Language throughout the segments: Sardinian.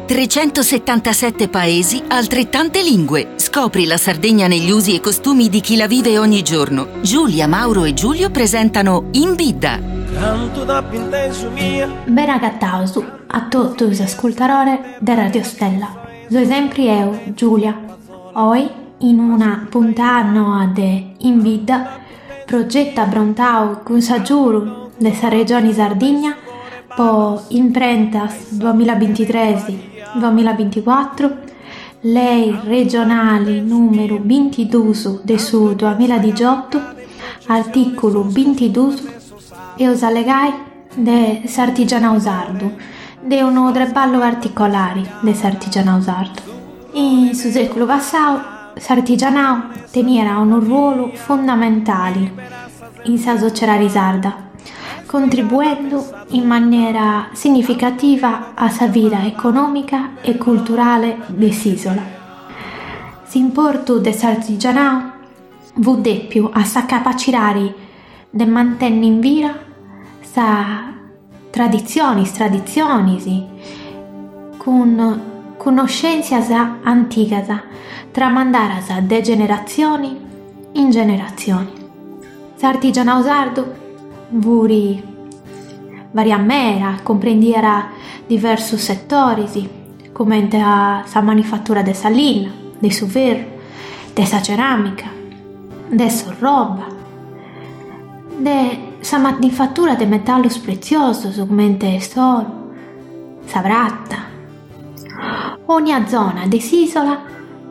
377 paesi, altrettante lingue. Scopri la Sardegna negli usi e costumi di chi la vive ogni giorno. Giulia, Mauro e Giulio presentano In Bidda. Cantu t'ap'intesu mia. Bene agataus a totu is ascurtadores de Radio Stella. Soi sempri eo, Giulia. Oi, in una puntada noa de In Bidda, progetu aprontau cun s'agiudu de sa Regioni Sardigna po Imprentas duamillabintitres duamillabinticuatru, lei regionali nùmeru bintidus de su duamilladixiotu, artìculu bintidus, eus a allegai de s'artigianau sardu, de unu treballu particolari de s'artigianau sardu. In su sèculu passau s'artigianau teniat unu ruolu fundamentali in sa sociedadi sarda, contribuendu in manera significativa a sa vida econòmica e culturale de s'ìsola. S'importu de s'artigianau fut dèpiu a sa capacidadi de mantenni in vida sa traditzionis traditzionis cun connoschèntzias antigas tramandadas de generatzioni in generatzioni. S'artigianau sardu fut variau meda, cumprendiat diversus setoris, comente a sa manifatura de sa linna, de su ferru, de sa ceràmica, de s'orroba, de sa manifatura de metallos pretziosos comente s'oru, sa prata. Ònnia zona de s'ìsola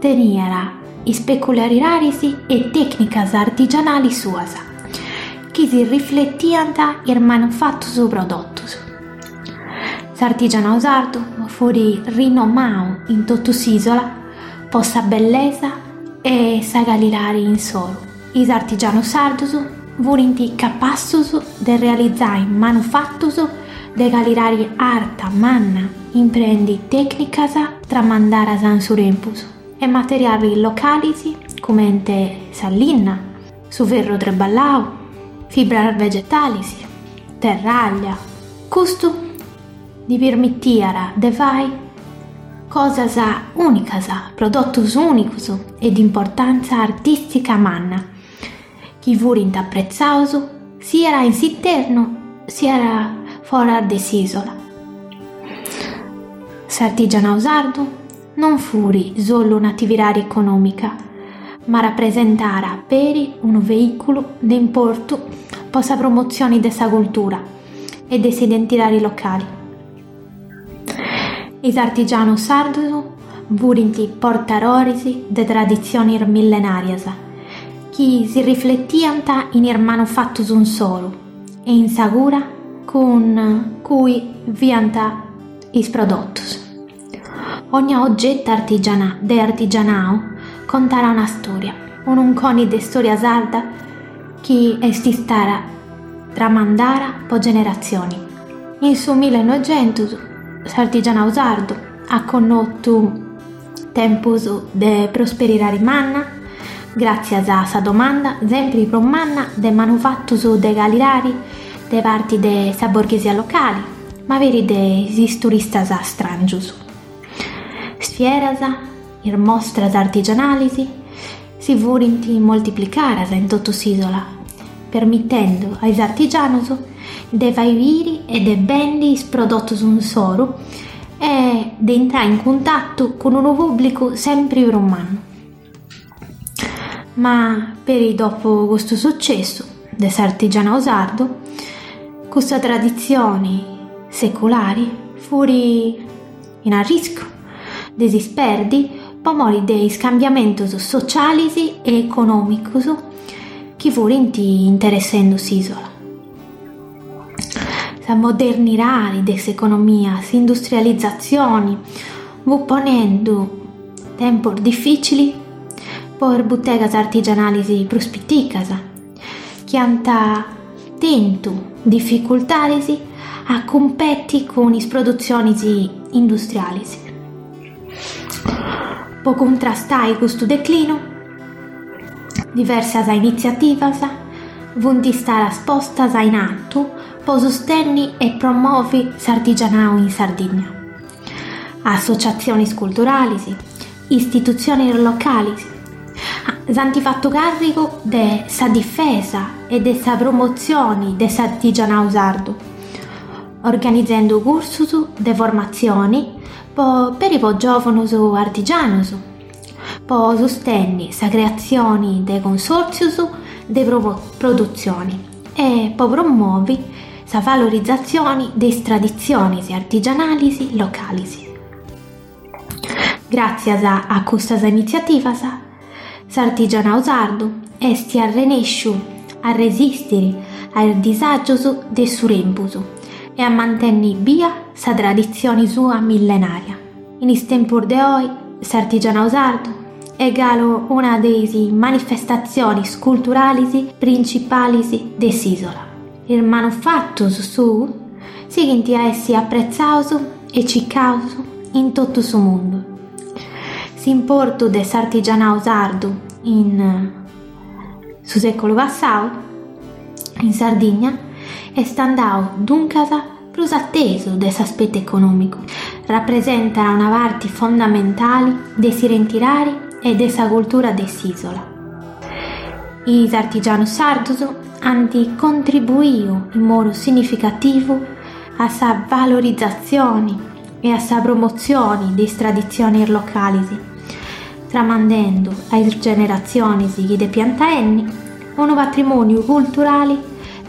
teniat is peculiaridades e tècnicas artigianales suas, chi si rifletiant in is manufatos prodotos. S'artigianau sardu fut rinomau in totu s'ìsola po sa bellesa e sa calidadi insoru. Is artigianus sardus furint capassus de realizai manufatus de calidadi arta manna impreendi tècnicas tramandadas in su tempus e materialis localis comente sa linna, su ferru treballau, fibras vegetalis, terraglia. Custu ddis permitiat de fai cosas ùnicas, prodotus ùnicus e de importàntzia artìstica manna, chi furint apretzaus siat in s'internu siat foras de s'ìsola. S'artigianau sardu non fut solu un'atividadi econòmica, ma rapresentat peri unu veìculu de importu po sa promotzioni de sa cultura e de s'identidadi locali. Is artigianus sardus furint portadoris de traditzionis millenàrias chi si rifletiant in is manufatus insoru e in sa cura cun cui fiant is prodotus. Ogna ogetu artigiana de artigianau contat una stòria, unu unconi de stòria sarda chi est istada tramandada po generatzioni. In su millenoixentus s'artigianau sardu at connotu tempus de prosperidadi manna, gràtzias a sa domanda sempri prus manna de manufatus de calidadi de parti de sa borghesia locali, ma peri de is turistas stràngius. Is fieras, is mostras artigianalis si furint moltiplicadas in totu s'ìsola, permitendu a is artigianus de fai biri e de bendi is prodotus insoru e de intrai in cuntatu cun unu pùblicu sempri prus mannu. Ma peri dopu custu sucessu de s'artigianau sardu, custa traditzioni seculari fut in arriscu de si sperdi po mori de is cambiamentus socialis e econòmicus chi furint interessendu s'ìsola. Sa modernidadi de s'economia, s'industrializatzioni, fut ponendu tempus difìcilis po is butegas artigianalis prus piticas, chi ant tentu dificultadis a cumpeti cun is produtzionis industrialis. Po cuntrastai custu declinu, diversas initziativas funt istadas postas in atu po sustenni e promovi s'artigianau in Sardigna. Associatzionis culturalis, istitutzionis localis s'ant fatu càrrigu de sa difesa e de sa promotzioni de s'artigianau sardu, organizendu cursus de formatzioni po peri po giòvunus artigianus, po sustenni sa creatzioni de consòrtzius de produtzioni e po promovi sa valorizatzioni de is traditzionis artigianalis localis. Gràtzias a custas initziativas, s'artigianau sardu est arrenèsciu a resìstiri a is disàgios de su tempus e a mantenni bia sa traditzioni sua millenària. In is tempus de oi, s'artigianau sardu est galu una de is manifestatzionis culturalis principalis de s'ìsola. Is manufatus suus sighint a essi apretzaus e circaus in totu su mundu. S'importu de s'artigianau sardu in su sèculu passau in Sardigna est andau duncas prus atesu de s'aspetu econòmicu, rapresentat una parti fondamentali de s'identidadi e de sa cultura de s'ìsola. Is artigianus sardus ant contribuiu in modu significativu a sa valorizatzioni e a sa promotzioni de is traditzionis localis, tramandendu a is generatzionis chi depiant enni unu patrimòniu culturali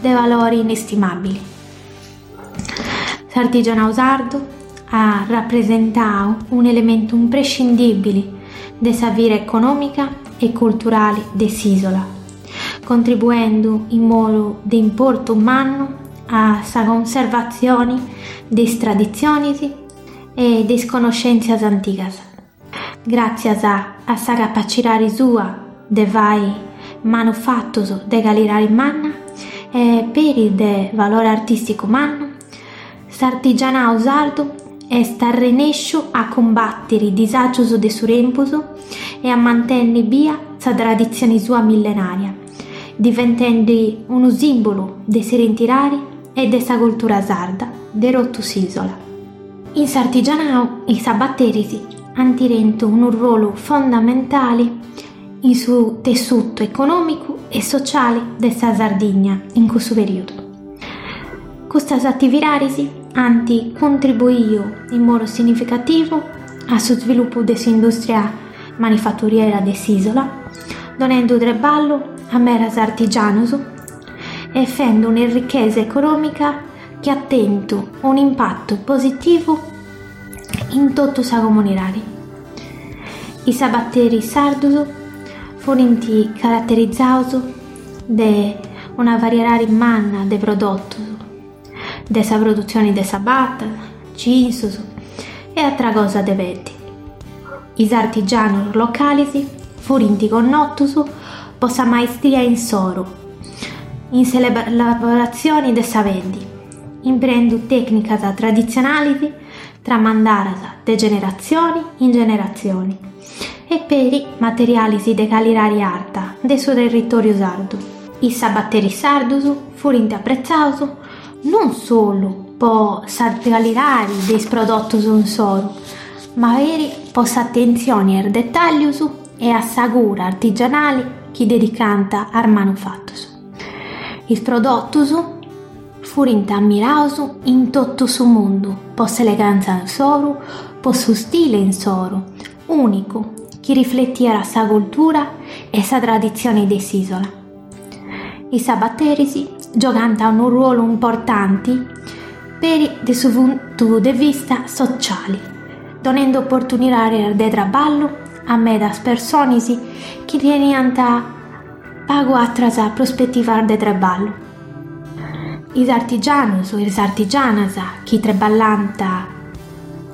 de valori inestimàbili. S'artigianau sardu at rapresentau un'elementu imprescindìbili de sa vida econòmica e culturali de s'ìsola, contribuendu in modu de importu mannu a sa conservatzioni de is traditzionis e de is connoschèntzias antigas. Gràtzias a sa capacidadi sua de fai manufatus de calidadi manna e peri de valore artìsticu mannu, s'artigianau sardu est arrenèsciu a cumbàtiri disàgius de su tempus e a mantenni bia sa traditzioni sua millenària, diventendi unu sìmbulu de s'identidadi e de sa cultura sarda de totu s'ìsola. In s'artigianau is sabateris ant tentu unu ruolu fondamentali in su tessutu econòmicu e sociali de sa Sardigna in cussu perìodu. Custas atividadis ant contribuiu in modu significativu a su svilupu de s'indùstria manifaturiera de s'ìsola, donendu treballu a medas artigianus e fendu un'errichesa econòmica chi at tentu un'impatu positivu in totu sa comunidadi. Is sabateris sardus furint caraterizaus de una variedadi manna de prodotus, de sa produtzioni de sabatas, cinsus e atra cosa de peddi. Is artigianus localis furint connotus po sa maistria insoru in s'elaboratzioni de sa peddi, imprendu tècnicas traditzionalis tramandadas de generatzioni in generatzioni e peri materialis de calidadi arta de su territòriu sardu. Is sabateris sardus furint apretzaus non solu po sa calidadi de is prodotus insoru, ma peri po s'atentzioni a is detàllius e a sa cura artigianali chi dedicànt a is manufatus. Is prodotus furint ammiraus in totu su mundu po s'elegàntzia insoru, po su stile insoru, ùnicu, chi rifletiat sa cultura e sa traditzioni de s'ìsola. Is sabateris giogànt unu ruolu importanti peri de su puntu de vista sociali, donendu oportunidades de traballu a medas personis chi teniant pagu atras prospetivas de traballu. Is artigianus e is artigianas chi traballànt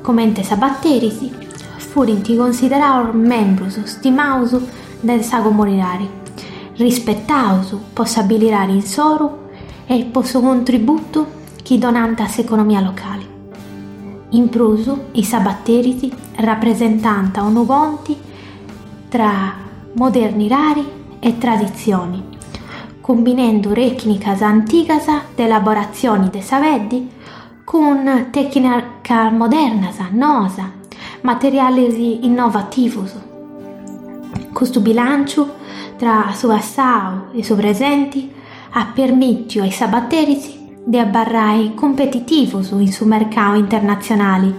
comente sabateris furint consideraus membrus stimaus de sa comunidadi, rispetaus po s'abilidadi insoru e po su contributu chi donànt a s'economia locali. In prus, is sabateris rapresentànt unu ponti tra modernidadi e traditzioni, cumbinendu tècnicas antigas de elaboratzioni de sa peddi cun tècnicas modernas, noas. materiales innovativos. Custu bilànciu tra su passau e su presenti at permìtiu a is sabateris de abarrai cumpetitivos in su mercau internatzionali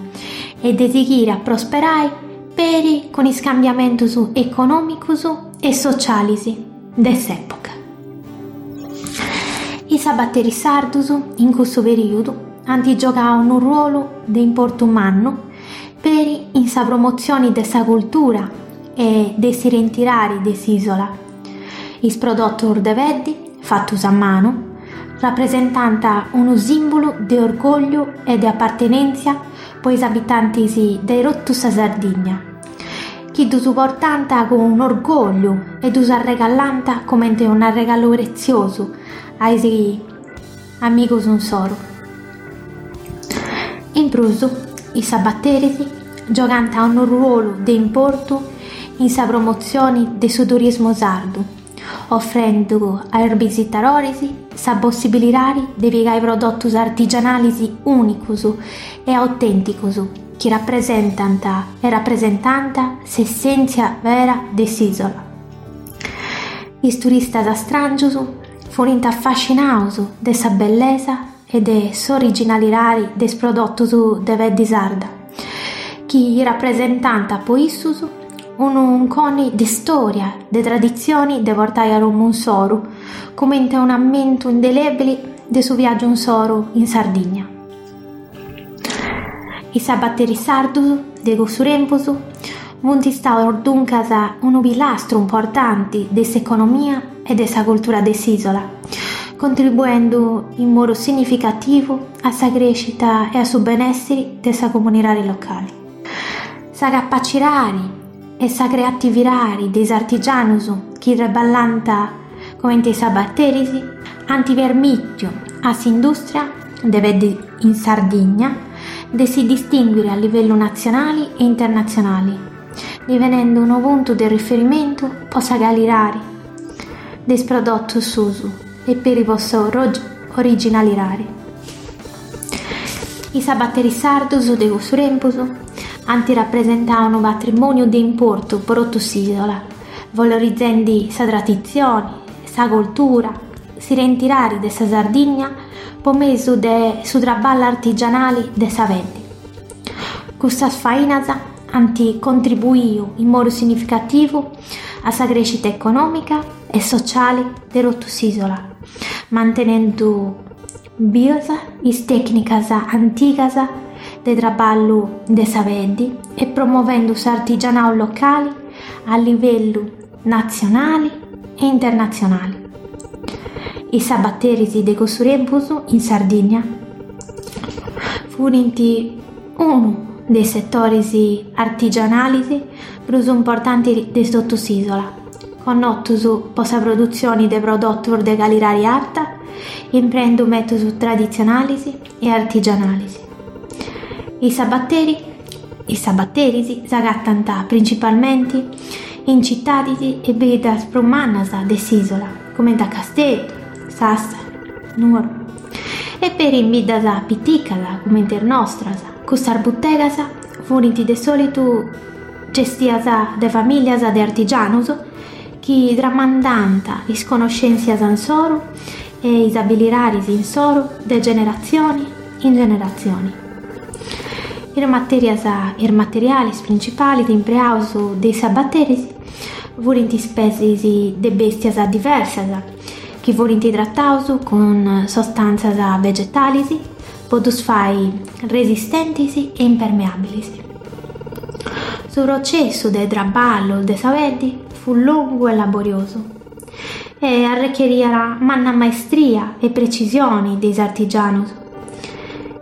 e de sighiri a prosperai peri cun is cambiamentus econòmicus e socialis de s'època. Is sabateris sardus in cussu perìudu ant giogau unu ruolu de importu mannu peri in sa promotzioni de sa cultura e de s'identidadi de s'ìsola. Is prodotus de peddi, fatus a manu, rapresentant unu sìmbulu de orgògliu e de apartenèntzia po is abitantis de totu sa Sardigna, chi ddus portant cun orgògliu e ddus arregallant comente un'arregalu pretziosu a is amigus insoru. In prus, is sabateris giogant unu ruolu de importu in sa promotzioni de su turismu sardu, ofrendu a is bisitadoris sa possibilidadi de pigai prodotus artigianalis ùnicus e autènticus chi rapresentant e rapresentant s'essèntzia vera de s'ìsola. Is turistas stràngius furint afascinaus de sa bellesa e de s'originalidadi de is prodotus de peddi sarda, chi rapresentant po issus unu unconi de storia, de traditzioni de portai a domu insoru, cumenti un'ammentu indelebili de su viàgiu insoru in Sardigna. Is sabateris sardus de cussu tempus funt istaus duncas unu pilastru importanti de s'economia e de sa cultura de s'ìsola, contribuendu in modu significativu a sa crèscita e a su benèssiri de sa comunidadi locali. Sa capacidadi e sa creatividadi de is artigianus chi traballànt comente is sabateris ant permìtiu a s'indùstria de peddi in Sardigna de si distìnguiri a livellu natzionali e internatzionali, divenendu unu puntu de riferimentu po sa calidadi de is prodotus suus e peri po s'originalidadi. Is sabateris sardus de cussu tempus ant rapresentau unu patrimòniu de importu po totu s'ìsola, valorizendi sa traditzioni, sa cultura, s'identidadi de sa Sardigna po mesu de su traballu artigianali de sa peddi. Custas fainas ant contribuiu in modu significativu a sa crèscita econòmica e sociali de totu s'ìsola, mantenendu bias is tècnicas antigas de traballu de sa peddi e promovendu s'artigianau locali a livellu natzionali e internatzionali. Is sabateris de cussu tempus in Sardigna furint unu de is setoris artigianalis prus importantis de totu s'ìsola, connotus po sa produtzioni de prodotus de calidadi arta imprendu mètodus traditzionalis e artigianalis. Is sabateri Is sabateris s'agatant principalmenti in citadis e biddas prus mannas de s'ìsola, cumenti a Casteddu, Sassari, Nuoro, e peri in biddas piticas cumenti is nostras. Custas butegas furint de sòlitu gestias de famìlias de artigianus chi tramandant is conoscèntzias insoru e is abilidadis insoru de generatzioni in generatzioni. Is matèrias is materialis principalis impreaus de is sabateris furint is peddis de bèstias diversas chi furint trataus cun sostàntzias vegetalis po ddus fai resistentis e impermeàbilis. Su processu de traballu de sa peddi fut longu e laboriosu e arrecheriat manna maestria e precisioni de is artigianus.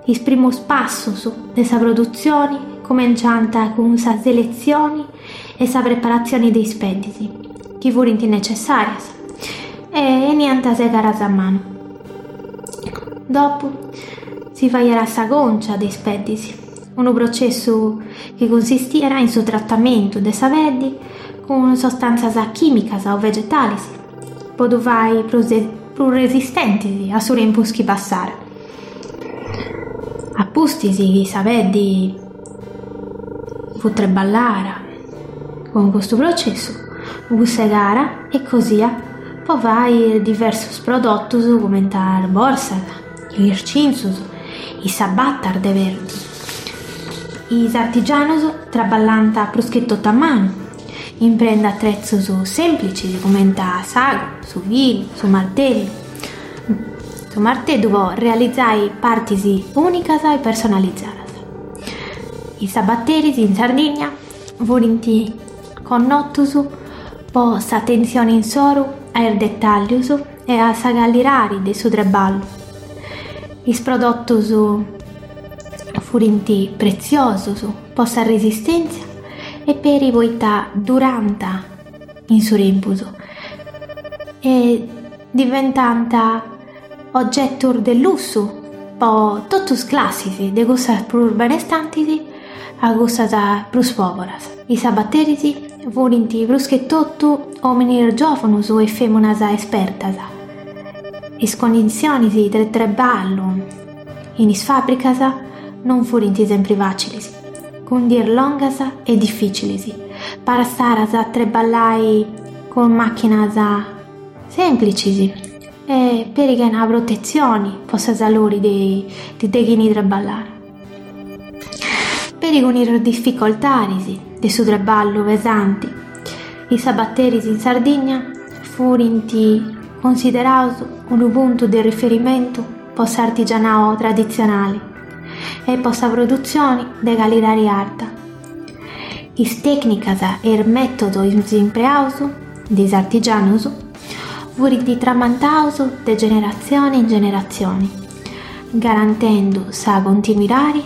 Is primus passus de sa produtzioni cumenciant cun sa seletzioni e sa preparatzioni de is peddis, chi furint necessàrias e 'eniant segadas a manu. Dopu si faiat sa còncia de is peddis, unu processu chi cunsistiat in su tratamentu de sa peddi cun sostàntzias chìmicas o vegetalis po ddu fai prus prus resistentis a su tempus chi passat. A pustis chi sa peddi. fut treballara cun custu processu, fut segara e cosia po fai diversus prodotus cumenti is borsas, is cinzus, is sabatas de peddi. Is artigianus traballànt prus che totu a manu, imprendi atretzus semplicis cumenti s'agu, su filu, su martellu. Su marteddu po realizai partis unicas e personalizadas. Is sabateris in Sardigna furint connotus po s'atentzioni insoru a is detàllius e a sa calidadi de su treballu. Is prodotus furint pretziosus po sa resistèntzia e peri poita durant in su tempus e diventant ogetus de lussu po totus is classis, de cussas prus benestantis a cussas prus poboras. Is sabateris furint prus che totu ominis giovunus e feminas espertas. Is conditzionis de treballu in is fabricas non furint sempri facilis, cun dies longas e dificilis, passaras a treballai cun machinas Semplicis e peri chena protetzioni po sa saluri de de chini treballat. Peri cun is dificoltadis de su treballu pesanti, is sabateris in Sardigna furint cunsideraus unu puntu de riferimentu po s'artigianau traditzionali e po sa produtzioni de calidadi arta. Is tècnicas e is mètodus impreaus de is artigianus furint tramandaus de generatzioni in generatzioni, garantendu sa continuidadi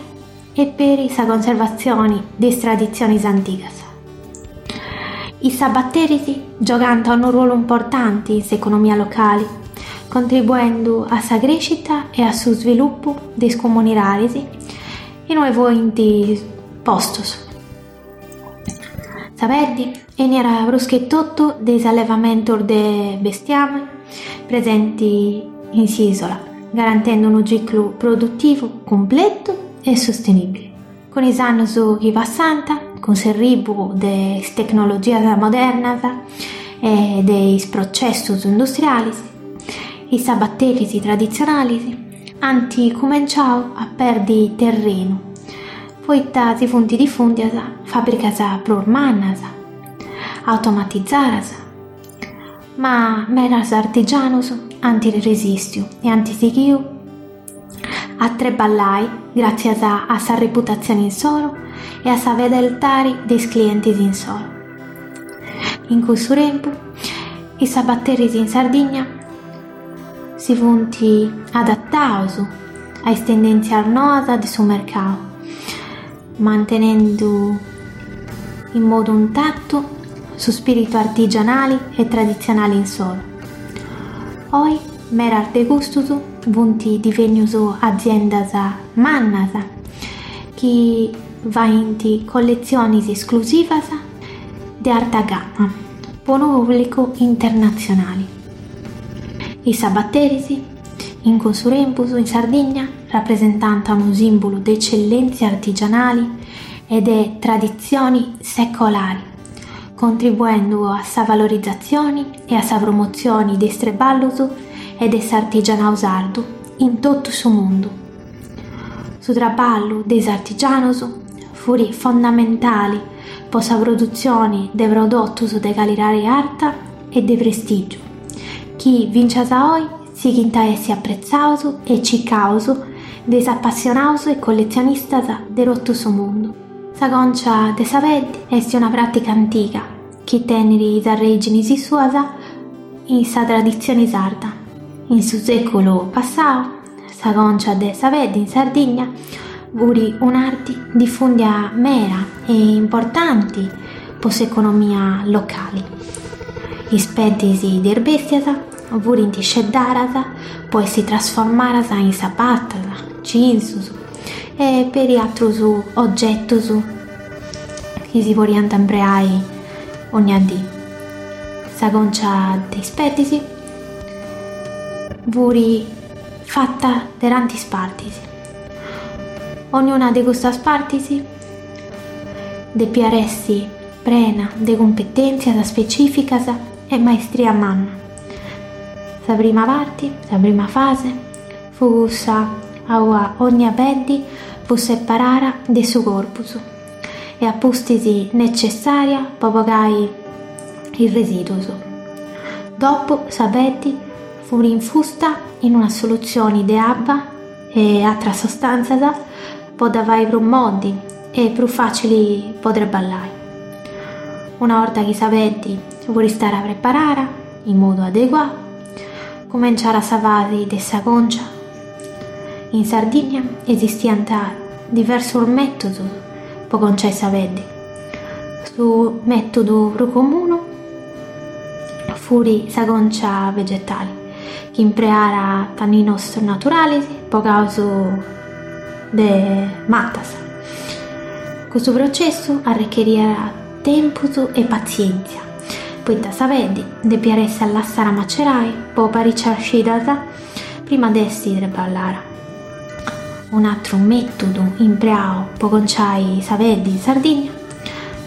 e peri sa conservatzioni de is traditzionis antigas. Is sabateris giogant unu ruolu importanti in s'economia locali, contribuendu a sa crèscita e a su svilupu de is comunidadis inue fuint postus. Sa peddi 'eniat prus che totu de is allevamentus de bestiamini presenti in s'isola, garantendu unu ciclu produtivu cumpletu e sustenibili. Cun is annus chi passant, cun s'erribu de is tecnologias modernas e de is processus industrialis, is sabateris traditzionalis ant cumenciau a perdi terrenu, poita si funt difùndias fàbricas prus mannas, automatizadas, ma medas artigianus ant resìstiu e ant sighiu a treballai gràtzias a sa reputatzioni insoru e a sa fedeltadi de is clientis insoru. In cussu tempu, is sabateris in Sardigna si funt adataus a is tendèntzias noas de su mercau, mantenendu in modu intatu su spìritu artigianali e traditzionali insoru. Oi medas de custus funt divenius aziendas mannas chi faint colletzionis esclusivas de arta gama po unu pùblicu internatzionali. Is sabateris, in cussu tempus in Sardigna, rapresentant unu sìmbulu de ecellèntzia artigianali e de traditzioni secolari, contribuendu a sa valorizatzioni e a sa promotzioni de is treballus e de s'artigianau sardu in totu su mundu. Su traballu de is artigianus fut fondamentali po sa produtzioni de prodotus de calidadi arta e de prestìgiu, chi fintzas a oi sighint a essi apretzaus e circaus de is apassionaus e colletzionistas de totu su mundu. Sa concia de sa peddi est una pràtica antiga chi tenit is arrèginis suas in sa traditzioni sarda. In su sèculu passau sa concia de sa peddi in Sardigna fut un'arti difùndia meda e importanti po s'economia locali. Is peddis de is bèstias furint sceddadas po essi trasformadas in sabatas, cinzus e peri atrus ogetus chi si podiant impreai ogna dì. Sa concia de is peddis fut fata de tantis partis. Ognuna de custas partis. depiat essi prena de cumpetèntzias specificas e maestria manna. Sa prima parti, sa prima fase, fut cussa aua ogna peddi fut separara de su corpus e a pustis necessària po bogai is residus. Dopu sa peddi fut infusta in una solutzioni de abba e atras sostàntzias po dda fai prus moddi e prus fàcili po treballai. Una 'orta chi sa peddi fut istada preparara in modu adeguau, cumenciara sa fasi de sa concia. In Sardigna esistiant diversus mètodus po conciai sa peddi. Su mètodu prus comunu fut sa concia vegetali, chi impreara tanninos naturalis bogaus de matas. Custu processu arrecheriat tempus e patzièntzia, poita sa peddi depiat essi lassara macerai po paricias cidas prima de essi treballara. Un'atru mètodu impreau po conciai sa peddi in Sardigna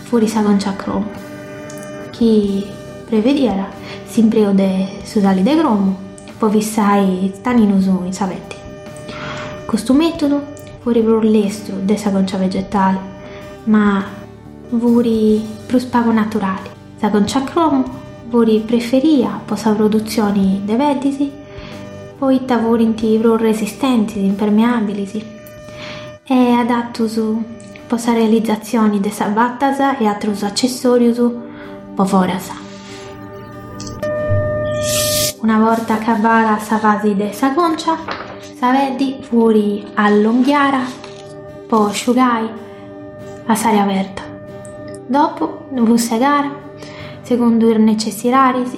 fut sa concia a cromu, chi prevediat s'impreu de su sali de cromu po fissai is taninus in sa peddi. Custu mètodu fut prus lestru de sa concia vegetali, ma fut prus pagu naturali. Sa concia a cromu fut preferia po sa produtzioni de peddis poita furint prus resistentis, impermeabilis e adatus po sa realizatzioni de sabatas e atrus acessorius po foras. Una borta acabada sa fasi de sa concia, sa peddi fut allonghiara po sciugai a s'aria aberta. Dopu fut segara segundu is necessidadis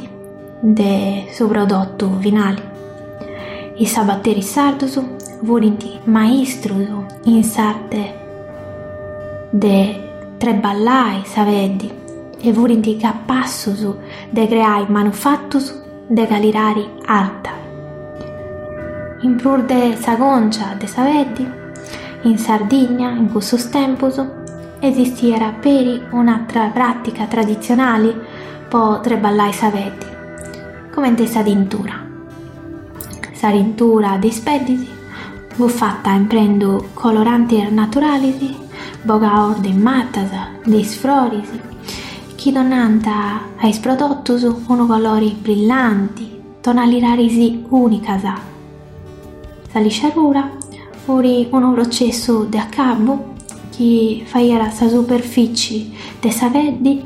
de su prodotu finali. Is sabateris sardus furint maistrus in s'arte de treballai sa peddi e furint capassus de creai manufatus de calidadi arta. In prus de sa concia de sa peddi, in Sardigna in cussus tempus esistiat peri un'atra pràtica traditzionali po treballai sa peddi, comente sa tintura. Sa tintura de is peddis fut fata imprendu colorantis naturalis bogaus de is matas, de is froris, chi donant a is prodotus unu colori brillanti, tonalidadis ùnicas. Sa lisciadura fut unu processu de acabu chi faiat sa superfici de sa peddi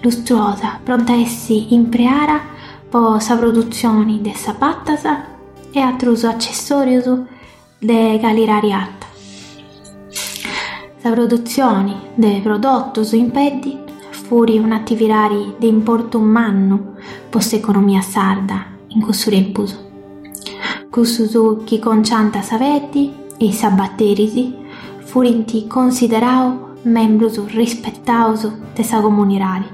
lustrosa, pronta a essi impreada po sa produtzioni de sabatas e atrus acessòrius de calidadi arta. Sa produtzioni de prodotus in peddi fut un'atividadi de importu mannu po s'economia sarda in cussu tempus. Cussus chi conciant sa peddi e is sabateris furint consideraus membrus rispetaus de sa comunidadi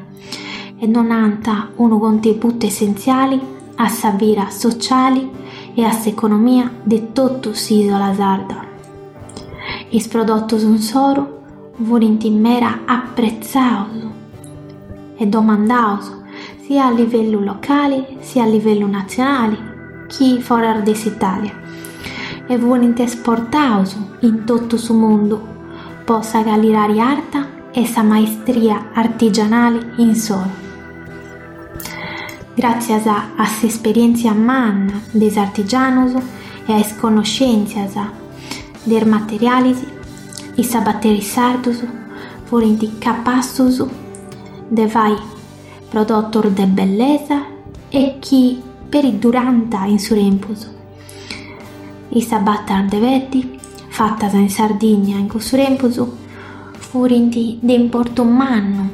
e donant unu contributu essentziali a sa vida sociali e a s'economia de totu s'ìsola sarda. Is prodotus insoru furint meda apretzaus e domandaus sia a livellu locali sia a livellu natzionali chi foras de s'Itàlia e furint esportaus in totu su mundu po sa calidadi arta e sa maestria artigianali insoru. Gràtzias a s'esperièntzia manna de is artigianus e a is connoschèntzias de is materialis, is sabateris sardus furint capassus de fai prodotus de bellesa e chi peri durant in su tempus. Is sabatas de peddi fatas in Sardigna in cussu tempus furint de importu mannu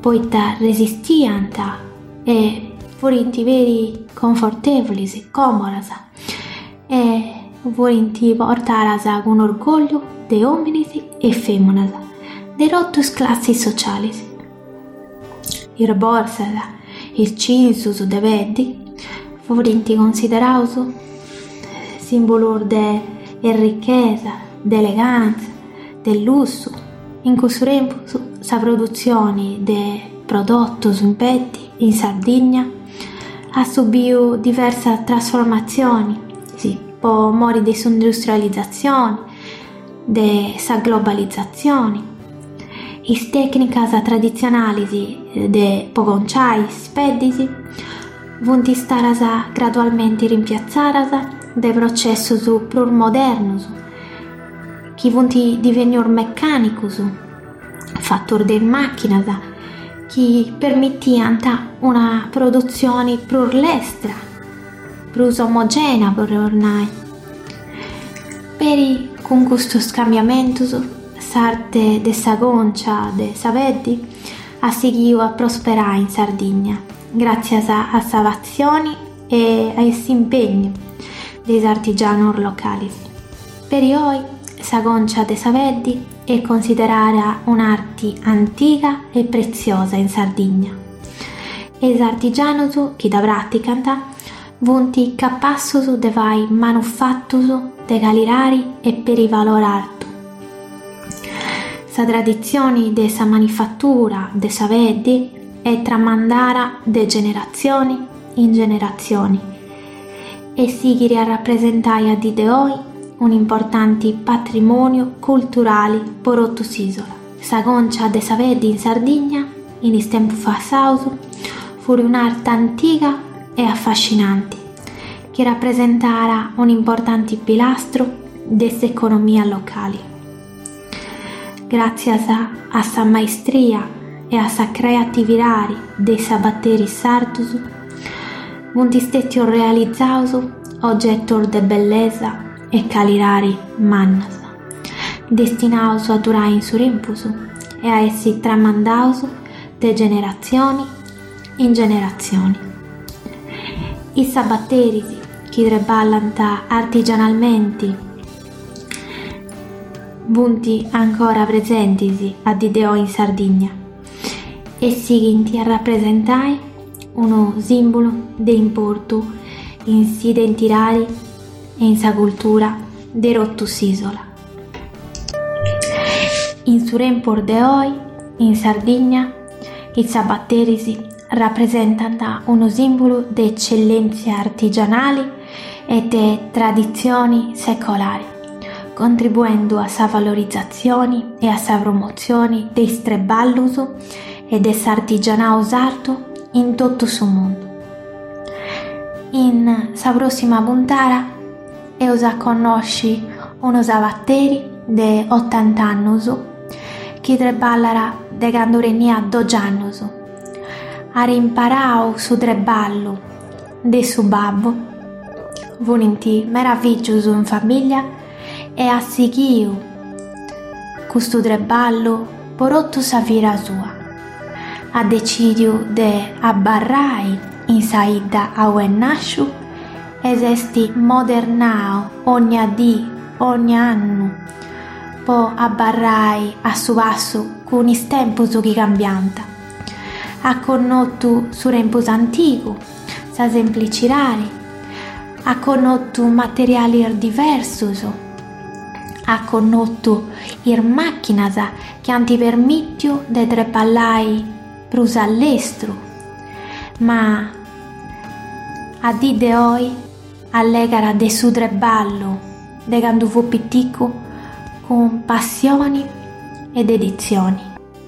poita resistiant e furint peri confortevolis, còmodas e furint portadas cun orgòlliu de òminis e fèminas de totu is classis socialis. Is borsas, is cinzus de peddi furint consideraus sìmbulus de errichesa, de elegàntzia, de lussu. In cussu tempus sa produtzioni de prodotus in peddi in Sardigna at subiu diversas trasformatzionis po mori de s'industrializatzioni, de sa globalizatzioni. Is tècnicas traditzionalis de po conciai is peddis funt istadas gradualmenti rimpiatzadas de processus prus modernus chi funt divenius mecànicus, fatus de is màchinas chi permitiant una produtzioni prus lestra, prus omogena podeus nai. Peri cun custus cambiamentus s'arte de sa concia de sa peddi at sighiu a prosperai in Sardigna gràtzias a sa passioni e a s'impegnu de is artigianus localis. Peri oi sa concia de sa peddi est considerada un'arti antiga e pretziosa in Sardigna e is artigianus chi dda pràticant funt capassus de fai manufatus de calidadi e peri valori artu. Sa traditzioni de sa manifatura de sa peddi est tramandada de generatzioni in generatzioni e sighit a rapresentai a dì de oi un'importanti patrimòniu culturali po totu s'ìsola. Sa concia de sa peddi in Sardigna, in is tempus passaus, fut un'arti antiga e afascinanti chi rapresentàt un'importanti pilastru de s'economia locali. Gràtzias a sa maestria e a sa creatividadi de is sabateris sardus, funt stètius realizaus ogetus de bellesa e calidadi mannas, destinaus a durai in su tempus e a essi tramandaus de generatzioni in generatzioni. Is sabateris chi treballant artigianalmenti funt ancora presentis a dì de oi in Sardigna e sighint a rapresentai unu sìmbulu de importu in s'identidadi e in sa cultura de totu s'ìsola. In su tempus de oi, in Sardigna, is sabateris rapresentant unu sìmbulu de ecellèntzia artigianali e de traditzioni secolari, contribuendu a sa valorizatzioni e a sa promotzioni de is treballus e de s'artigianau sardu in totu su mundu. In sa pròssima puntada eus a connosci unu sabateri de otant'annus chi treballat de candu teniat doxi annus. At imparau su treballu de su babbu, funint meda fìgius in famìllia e at sighiu custu treballu po totu sa vida sua. At decìdiu de abarrai in sa 'idda aue est nàsciu e s'est modernau ogna dì, ogna annu, po abarrai a su passu cun is tempus chi cambiant. At connotu su tempus antigu, sa semplicidadi, at connotu materialis diversus, at connotu is màchinas chi ant permìtiu de treballai prus a lestru, ma a dì de oi allegat de su treballu de candu fut piticu cun passioni e deditzioni.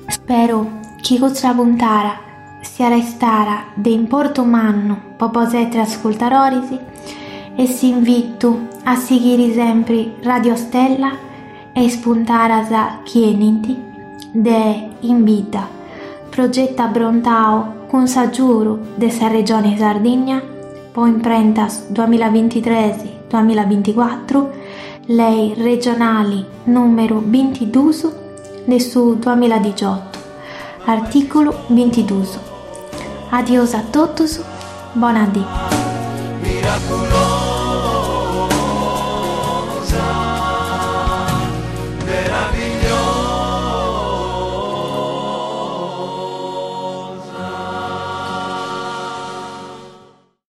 Spero chi custa puntada siat istada de importu mannu po bosatrus ascurtadoris e s'invitu a sighiri sempri Radio Stella e is puntadas chi 'enint de In Bidda, progetu abrontau cun s'agiudu de sa Regione Sardigna po imprentas duamillabintitres duamillabinticuatru, lei regionali nùmeru bintidus de su duamilladixiotu, artìculu bintidus. Adios a totus, bona dì.